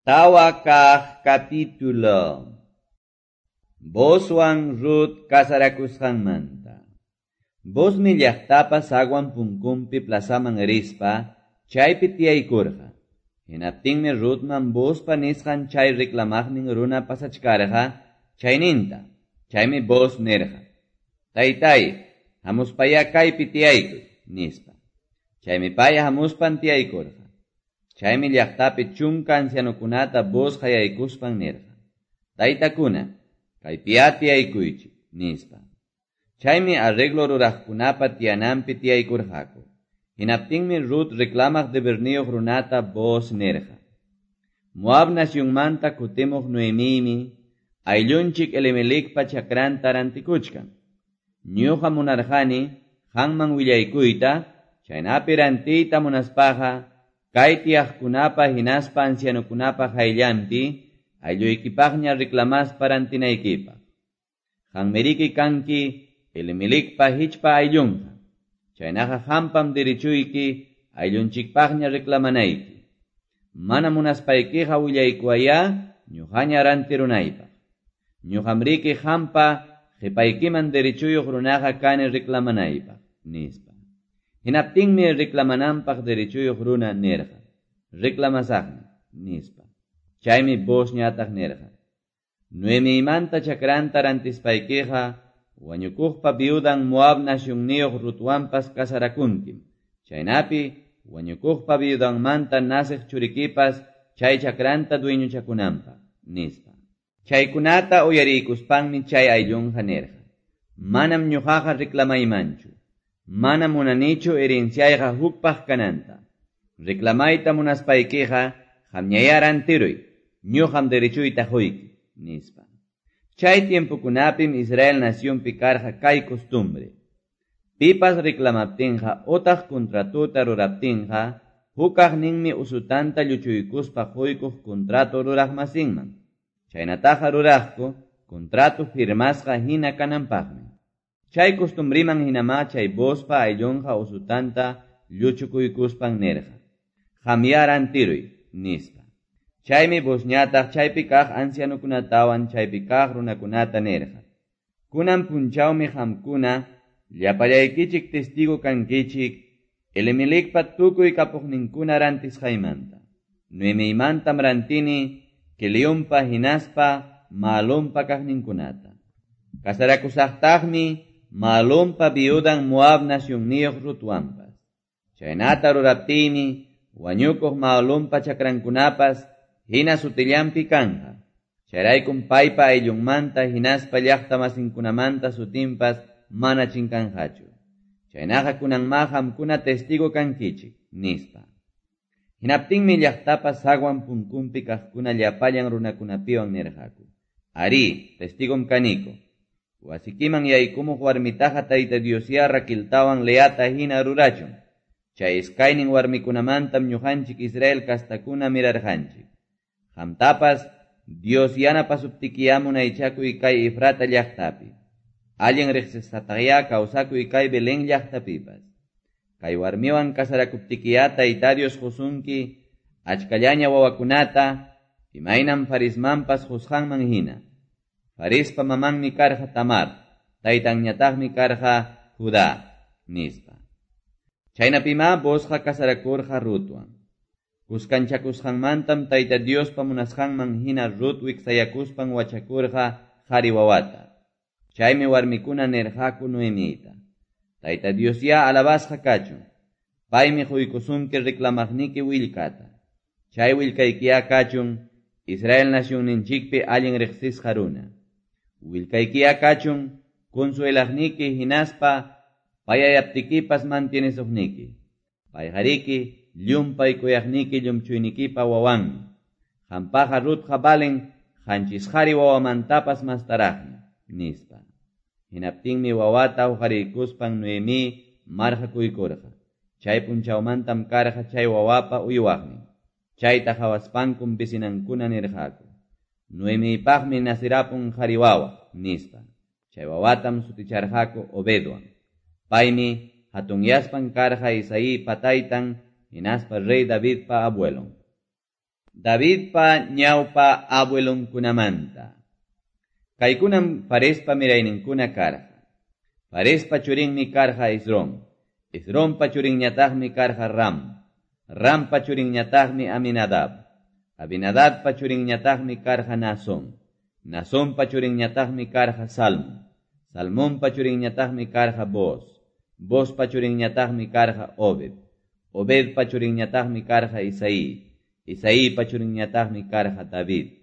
Tawa kaq capítulo. Boozwan Rut casarakusqanmanta. Boozmi llaqtapa zaguan punkunpi plazaman rispa, chaypi tiyaykurqa. Hinaptinmi Rutman Boozpa nisqan chay reclamaqnin runa pasachkarqa, chayninta. Chaymi Booz nirqa: Taytay, hamuspayá kaypi tiyaykuy, nispa. Chaymi pay hamuspan tiyaykurqa. Chaymi llaqtapi chunka ancianokunata Booz qayaykuspan nirqa: Taytakuna, kaypiyá tiyaykuychik, nispa. Chaymi arreglo ruraqkunapa tiyananpi tiyaykurqaku. Hinaptinmi Rut reclamaq deberniyuq runata Booz nirqa: Moab nacionmanta kutimuq Noemimi ayllunchik Elimelecpa chakranta rantikuchkan. Ñuqa munarqani qamman willaykuyta, chaynapi rantiyta munaspaqa kay tiyaqkunapa hinaspa ancianokunapa qayllanpi aylluykipaqña reclamaspa rantinaykipaq. Qanmiriki kanki Elimelecpa hichpa ayllunqa. Chaynaqa qampam derechuyki ayllunchikpaqña reclamanayki. Mana munaspaykiqa willaykuwayá ñuqaña rantirunaypaq. Ñuqamriki qampa qhipaykiman derechuyuq runaqa kani reclamanaypaq, nispa. Hinaptinmi reclamananpaq derechuyuq runa nirqa: Reclamasaqmi, nispa. Chaymi Boozñataq nirqa: Noemimanta chakranta rantispaykiqa wañukuqpa viudan Moab nacionniyuq Rutwanpas casarakunkim. Chaynapi wañukuqpa viudanmanta naciq churikipas chay chakranta dueñochakunanpaq, nispa. Chaykunata uyariykuspanmi chay ayllunqa nirqa: Manam ñuqaqa reclamaymanchu. Manam munanichu herenciayqa hukpaq kananta. Reclamayta munaspaykiqa qamñayá rantiruy, ñuqam derechuyta quyki, nispa. Chay tiempokunapim Israel nacionpi karqa kay costumbre. Pipas reclamaptinqa utaq contratota ruraptinqa, hukaqninmi usutanta lluchuykuspa quykuq contrato ruraqmasinman. Chaynataqa ruraqku contrato firmasqa hina kananpaqmi. Chay costumbriman hinamá chay Boozpa ayllunqa usutanta lluchukuykuspan nirqa: Qamyá rantiruy, nispa. Chaymi Boozñataq chaypi kaq ancianokunatawan chaypi kaq runakunata nirqa: Kunan punchawmi qamkuna llapallaykichik testigo kankichik Elimelecpa tukuy kapuqninkuna rantisqaymanta. Noemiymantam rantini Quelionpa hinaspa Mahlonpa kaqninkunata. Casarakusaqtaqmi Mahlonpa viudan Moab nacionniyuq Rutwanpas. Chaynata ruraptiymi wañukuq Mahlonpa chakrankunapas hina sutillanpi kanqa. Chayraykum paypa ayllunmanta hinaspa llaqta masinkunamanta sutinpas mana chinkanqachu. Chaynaqa kunanmá qamkuna testigo kankichik, nispa. Hinaptinmi llaqtapa zaguan punkunpi kaqkuna llapallan runakunapiwan nirqaku: Arí, testigom kaniko. Wasikiman yaykumuq warmitaqa Tayta Diosyá Raqueltawan Leata hina rurachun. Chay iskaynin warmikunamantam ñuqanchik Israel kastakuna mirarqanchik. Qamtapas Dios yanapasuptikiyá munaychakuy kay Efrata llaqtapi. Allin riqsisqataqyá kawsakuy kay Belén llaqtapipas. Kay warmiwan casarakuptikiyá Tayta Dios qusunki achkallaña wawakunata, imaynam Farismanpas qusqanman hina. Farispa mamanmi karqa Tamar, taytanñataqmi karqa Judá, nispa. Chaynapimá Boozqa casarakurqa Rutwan. Kuskanchakusqanmantam Tayta Diospa munasqanman hina Rut wiksayakuspan wachakurqa qhari wawata. Chaymi warmikuna nirqaku Noemita: Tayta Diosyá alabasqa kachun. Paymi quykusunki reclamaqniki willkata. Chay willkaykiyá kachun Israel nacionninchikpi allin riqsisqa runa. Willkaykiyá kachun consuelaqniki hinaspa payayaptikipas mantienesuqniki. Payqariki llumpay kuyaqniki llumchuynikipa wawanmi. Qampaqa Rutqa valen qanchis qhari wawamantapas mastaraqmi, nispa. Hinaptinmi wawata huqariykuspan Noemí marqakuykurqa. Chay punchawmantam karqa chay wawapa uywaqnin. Chayta qhawaspankum vecinankuna nirqaku: Noemipaqmi nacirapun qhari wawa, nispa. Chay wawatam suticharqaku Obedwan. Paymi hatunyaspan karqa Isaípa taytan hinaspa rey Davidpa abuelon. Davidpa ñawpa abuelonkunamanta. Kaykunam Farespa mirayninkuna karqa. Farespa churinmi karqa Esrom. Esrompa churinñataqmi karqa Ram. Rampa churinñataqmi Aminadab. Aminadabpa churinñataqmi karqa Naasón. Naasonpa churinñataqmi karqa Salmón. Salmonpa churinñataqmi karqa Booz. Boozpa churinñataqmi karqa Obed. Obedpa churinñataqmi karqa Isaí. Isaípa churinñataqmi karqa David.